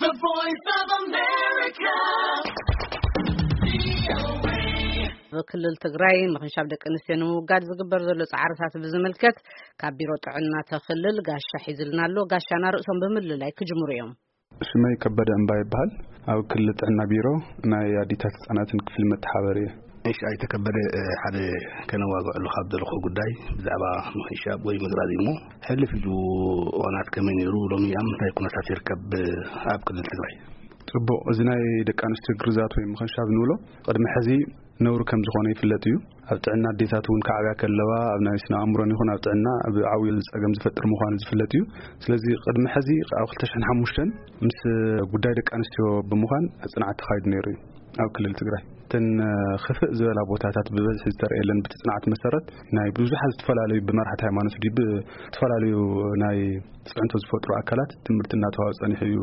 The Voice of America. ኣብ ክልል ትግራይ ምኽንሻብ ደቂ ኣንስትዮ ንምውጋድ ዝግበር ዘሎ ጻዕርታት ብዝምልከት ካብ ቢሮ ጥዕና ተኽልል ጋሻ ሒዝልና ኣሎ። ጋሻና ርእሶም ብምልላይ ክጅምሩ እዮም። ሽመይ ከበደ እምባ ይበሃል። ኣብ ክልል ጥዕና ቢሮ ናይ ኣዲታት ህጻናትን ክፍሊ መተሓበሪ እየ። እሺ፣ ኣይተከበደ፣ ሓደ ከነዋግዐሉ ካብ ዘለኹ ጉዳይ ብዛዕባ ምኽንሻብ ወይ ምግራዝ እዩ። እሞ ሕልፍ ኢሉ እዋናት ከመይ ነይሩ፣ ሎሚ ኣብ ምንታይ ኩነታት ይርከብ ኣብ ክልል ትግራይ? ጽቡቕ፣ እዚ ናይ ደቂ ኣንስትዮ ግርዛት ወይ ምኽንሻብ ንብሎ ቅድሚ ሕዚ ነውሪ ከም ዝኾነ ይፍለጥ እዩ። ኣብ ጥዕና ኣዴታት እውን ከዓብያ ከለዋ ኣብ ናይ ስነ ኣእምሮን ይኹን ኣብ ጥዕና ኣብ ዓብዪ ጸገም ዝፈጥር ምዃኑ ዝፍለጥ እዩ። ስለዚ ቅድሚ ሕዚ ኣብ ክልተ ሽሕን ሓሙሽተን ምስ ጉዳይ ደቂ ኣንስትዮ ብምዃን ጽንዓት ተኻይዱ ነይሩ እዩ ኣብ ክልል ትግራይ። እተን ክፍእ ዝበላ ቦታታት ብበዝሒ ዝተረእየለን ብቲ ጽንዓት መሰረት ናይ ብዙሓት ዝተፈላለዩ ብመራሕቲ ሃይማኖት ድዩ ብዝተፈላለዩ ናይ ጽዕንቶ ዝፈጥሩ ኣካላት ትምህርቲ እናተዋሃበ ጸኒሑ እዩ።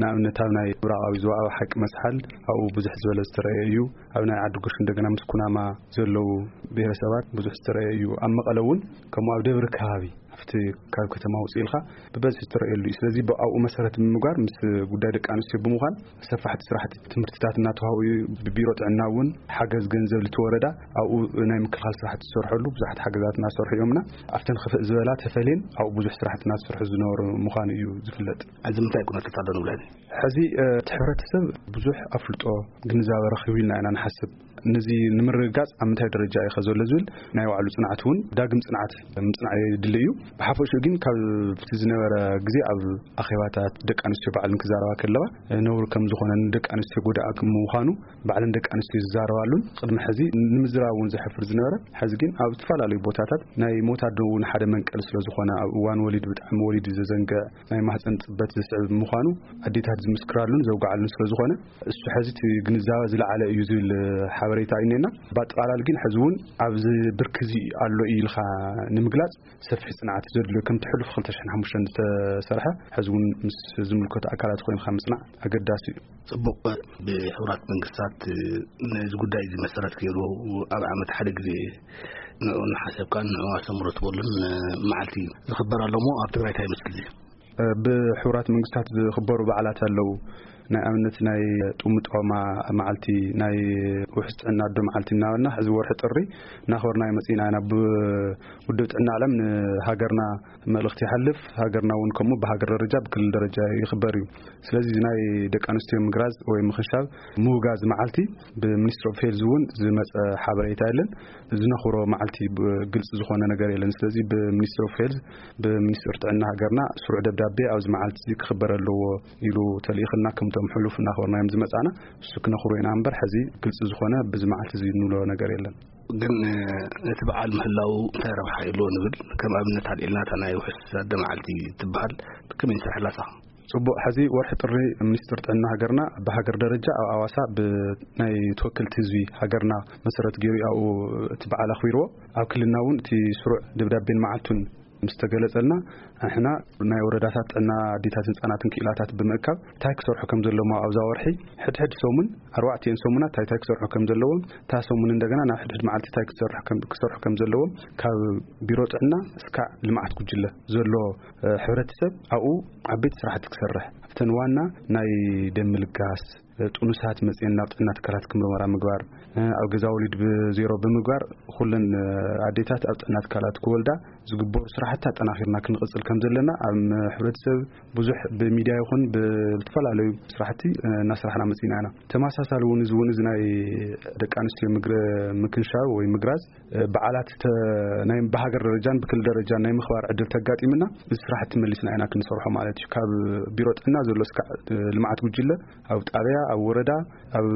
ንኣብነት ኣብ ናይ ምብራቓዊ ዞባ ኣብ ሓቂ መስሓል ኣብኡ ብዙሕ ዝበለ ዝተረእየ እዩ። ኣብ ናይ ዓዲ ጉሽ እንደገና ምስ ኩናማ ዘለዉ ብሄረሰባት ብዙሕ ዝተረእየ እዩ። ኣብ መቐለ እውን ከምኡ ኣብ ደብሪ ከባቢ ኣብቲ ካብ ከተማ ውፅእ ኢልካ ብበዝሒ ዝተረእየሉ እዩ። ስለዚ ብኣብኡ መሰረት ብምግባር ምስ ጉዳይ ደቂ ኣንስትዮ ብምዃን ሰፋሕቲ ስራሕቲ ትምህርትታት እናተዋህቡ እዩ። ብቢሮ ጥዕና እውን ሓገዝ ገንዘብ ልቲ ወረዳ ኣብኡ ናይ ምክልኻል ስራሕቲ ዝሰርሐሉ ብዙሓት ሓገዛት እናሰርሑ እዮምና። ኣብተን ክፍእ ዝበላ ተፈልየን ኣብኡ ብዙሕ ስራሕቲ እናተሰርሑ ዝነበሩ ምዃኑ እዩ ዝፍለጥ። እዚ ምንታይ ኩነታት ኣሎ ንብለን? ሕዚ እቲ ሕብረተሰብ ብዙሕ ኣፍልጦ ግንዛበ ረኺቡ ኢልና ኢና ንሓስብ። ነዚ ንምርግጋጽ ኣብ ምንታይ ደረጃ እዩ ከ ዘሎ ዝብል ናይ ባዕሉ ጽንዓት እውን ዳግም ጽንዓት ምጽናዕ የድሊ እዩ። ብሓፈሽኡ ግን ካብቲ ዝነበረ ግዜ ኣብ ኣኼባታት ደቂ ኣንስትዮ ባዕልን ክዛረባ ከለዋ ነውሪ ከም ዝኾነ ንደቂ ኣንስትዮ ጎዳኢ ከም ምዃኑ ባዕልን ደቂ ኣንስትዮ ዝዛረባሉን ቅድሚ ሕዚ ንምዝራብ እውን ዘሕፍር ዝነበረ ሕዚ ግን ኣብ ዝተፈላለዩ ቦታታት ናይ ሞት ኣዶ እውን ሓደ መንቀል ስለ ዝኾነ ኣብ እዋን ወሊድ ብጣዕሚ ወሊድ ዘዘንግዕ ናይ ማህፀን ጽበት ዘስዕብ ምዃኑ ኣዴታት ዝምስክራሉን ዘውግዓሉን ስለ ዝኾነ እሱ ሕዚ እቲ ግንዛበ ዝለዓለ እዩ ዝብል ሓበሬታ እዩ እኒኤና። ብኣጠቓላሊ ግን ሕዚ እውን ኣብዚ ብርኪ እዚ ኣሎ እዩ ኢልካ ንምግላጽ ሰፊሕ ጽንዓት ዘድልዮ ከምቲ ሕሉፍ ክልተ ሽሕን ሓሙሽተን ዝተሰርሐ ሕዚ እውን ምስ ዝምልከቱ ኣካላት ኮይንካ ምጽናዕ ኣገዳሲ እዩ። ጽቡቕ። ብሕቡራት መንግስታት ነዚ ጉዳይ እዚ መሰረት ገይሩ ኣብ ዓመት ሓደ ግዜ ንዑ እናሓሰብካን ንዑ ኣስተምህሮ ትበሉን መዓልቲ ዝኽበር ኣሎ እሞ ኣብ ትግራይ እንታይ ይመስል እዚ? ብሕቡራት መንግስታት ዝኽበሩ በዓላት ኣለዉ። ናይ ኣብነት ናይ ጥሙጦማ መዓልቲ፣ ናይ ውሕስ ጥዕና ኣዶ መዓልቲ እናበልና ሕዚ ወርሒ ጥሪ እናኽበርና መጺና ኢና። ብውድብ ጥዕና ዓለም ንሃገርና መልእኽቲ ይሓልፍ። ሃገርና እውን ከምኡ ብሃገር ደረጃ ብክልል ደረጃ ይኽበር እዩ። ስለዚ እዚ ናይ ደቂ ኣንስትዮ ምግራዝ ወይ ምኽንሻብ ምውጋዝ መዓልቲ ብሚኒስትሪ ኦፍ ሄልዝ እውን ዝመፀ ሓበሬታ የለን። ዝነኽብሮ መዓልቲ ብ-፣ ግልፂ ዝኾነ ነገር የለን። ስለዚ ብሚኒስትሪ ኦፍ ሄልዝ ብሚኒስትሪ ጥዕና ሃገርና ስሩዕ ደብዳቤ ኣብዚ መዓልቲ እዚ ክኽበር ኣለዎ ኢሉ ተልኢኽልና ከምቶም ሕሉፍ እናኽበርናዮም ዝመፃና እሱ ክነኽብሮ ኢና እምበር ሕዚ ግልፂ ዝኾነ ብዚ መዓልቲ እዚ እንብሎ ነገር የለን። ግን ነቲ በዓል ምህላው እንታይ ረብሓ የለዎ ንብል ከም ኣብነት ኣልዒልና እታ ናይ ውሕስ ኣደ መዓልቲ ትበሃል ከመይ ንሰርሐላ ሳኻ? ጽቡቕ። ሕዚ ወርሒ ጥሪ ሚኒስትር ጥዕና ሃገርና ብሃገር ደረጃ ኣብ ኣዋሳ ብናይ ተወከልቲ ህዝቢ ሃገርና መሰረት ገይሩ ኣብኡ እቲ በዓል ኣኽቢርዎ። ኣብ ክልልና እውን እቲ ስሩዕ ደብዳቤን መዓልቱን ምስ ተገለጸልና ንሕና ናይ ወረዳታት ጥዕና ኣዴታትን ህጻናትን ክኢላታት ብምእካብ እንታይ ክሰርሑ ከም ዘለዎም ኣብዛ ወርሒ ሕድሕድ ሰሙን ኣርባዕቲኤን ሰሙናት እንታይ እንታይ ክሰርሑ ከም ዘለዎም እታ ሰሙን እንደገና ናብ ሕድሕድ መዓልቲ እንታይ ክሰርሑ ከም ዘለዎም ካብ ቢሮ ጥዕና እስካዕ ልምዓት ጉጅለ ዘሎ ሕብረተሰብ ኣብኡ ዓበይቲ ስራሕቲ ክሰርሕ ኣብተን ዋና ናይ ደም ምልጋስ ጥኑሳት መፅኤን ናብ ጥዕና ትካላት ክምርመራ ምግባር ኣብ ገዛ ወሊድ ብዜሮ ብምግባር ኩለን ኣዴታት ኣብ ጥዕና ትካላት ክወልዳ ዝግበሩ ስራሕቲ ኣጠናኺርና ክንቕፅል ከም ዘለና ኣብ ሕብረተሰብ ብዙሕ ብሚድያ ይኹን ብዝተፈላለዩ ስራሕቲ እናስራሕና መፂና ኢና። ተመሳሳሊ እውን እዚ እውን እዚ ናይ ደቂ ኣንስትዮ ምክንሻብ ወይ ምግራዝ በዓላት ናይ ብሃገር ደረጃን ብክልል ደረጃን ናይ ምኽባር ዕድል ተጋጢምና እዚ ስራሕቲ መሊስና ኢና ክንሰርሖ ማለት እዩ። ካብ ቢሮ ጥዕና ዘሎ እስካዕ ልምዓት ጉጅለ ኣብ ጣብያ ኣብ ወረዳ ኣብ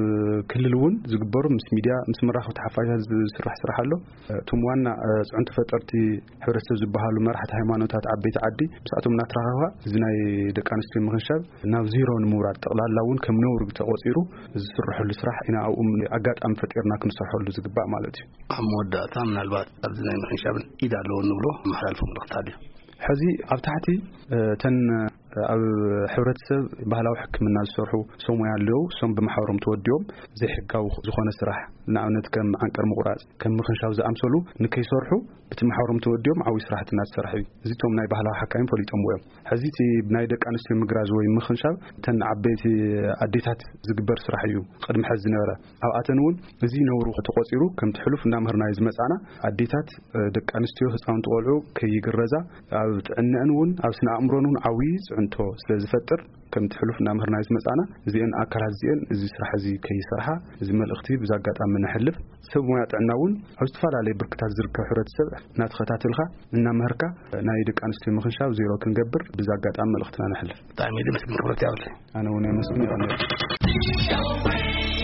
ክልል እውን ዝግበሩ ምስ ሚድያ ምስ መራኸብቲ ሓፋሻት ዝስራሕ ስራሕ ኣሎ። እቶም ዋና ፅዕንቶ ፈጠርቲ ሕብረተሰብ ዝበሃሉ መራሕቲ ሃይማኖታት ዓበይቲ ዓዲ ምስኣቶም እናተራኸብካ እዚ ናይ ደቂ ኣንስትዮ ምኽንሻብ ናብ ዜሮ ንምውራድ ጠቕላላ እውን ከም ነውሪ ተቆፂሩ ዝስርሐሉ ስራሕ ኢና ኣብኡ ኣጋጣሚ ፈጢርና ክንሰርሐሉ ዝግባእ ማለት እዩ። ኣብ መወዳእታ ምናልባት ኣብዚ ናይ ምኽንሻብን ኢድ ኣለዎ እንብሎ መሓላልፎ መልእኽቲ ኣሎ። ሕዚ ኣብ ታሕቲ እተን ኣብ ሕብረተሰብ ባህላዊ ሕክምና ዝሰርሑ ሰሙያ ኣለዉ። እሶም ብማሕበሮም ተወዲቦም ዘይሕጋዊ ዝኾነ ስራሕ ንኣብነት ከም ዓንቀር ምቑራጽ፣ ከም ምኽንሻብ ዝኣምሰሉ ንከይሰርሑ ብቲ ማሕበሮም ተወዲኦም ዓብዪ ስራሕቲ እናተሰርሐ እዩ። እዚቶም ናይ ባህላዊ ሓካይም ፈሊጦምዎ እዮም። ሕዚ እቲ ናይ ደቂ ኣንስትዮ ምግራዝ ወይ ምኽንሻብ እተን ዓበይቲ ኣዴታት ዝግበር ስራሕ እዩ። ቅድሚ ሕዚ ዝነበረ ኣብኣተን እውን እዚ ነውሩ ተቆጺሩ ከምቲ ሕሉፍ እናምህርናዮ ዝመጻና ኣዴታት፣ እ፣ ደቂ ኣንስትዮ ህፃውንቲ ቆልዑ ከይግረዛ ኣብ ጥዕነአን እውን ኣብ ስነ ኣእምሮን እውን ዓብዪ ፅዕንቶ ስለ ዝፈጥር ከምቲ ሕሉፍ እናምህርናዮ ዝመጻና እዚአን ኣካላት እዚአን እዚ ስራሕ እዚ ከይሰርሓ እዚ መልእኽቲ ብዛ ኣጋጣሚ ነሕልፍ። ሰብ ሞያ ጥዕና እውን ኣብ ዝተፈላለየ ብርክታት ዝርከብ ሕብረተሰብ እናተኸታተልካ እናመህርካ ናይ ደቂ ኣንስትዮ ምኽንሻብ ዜሮ ክንገብር ብዛ ኣጋጣሚ መልእኽትና ነሕልፍ። ብጣዕሚ ደስ ክብረት ያውለ። ኣነ እውን የመስግን። ይቐንል።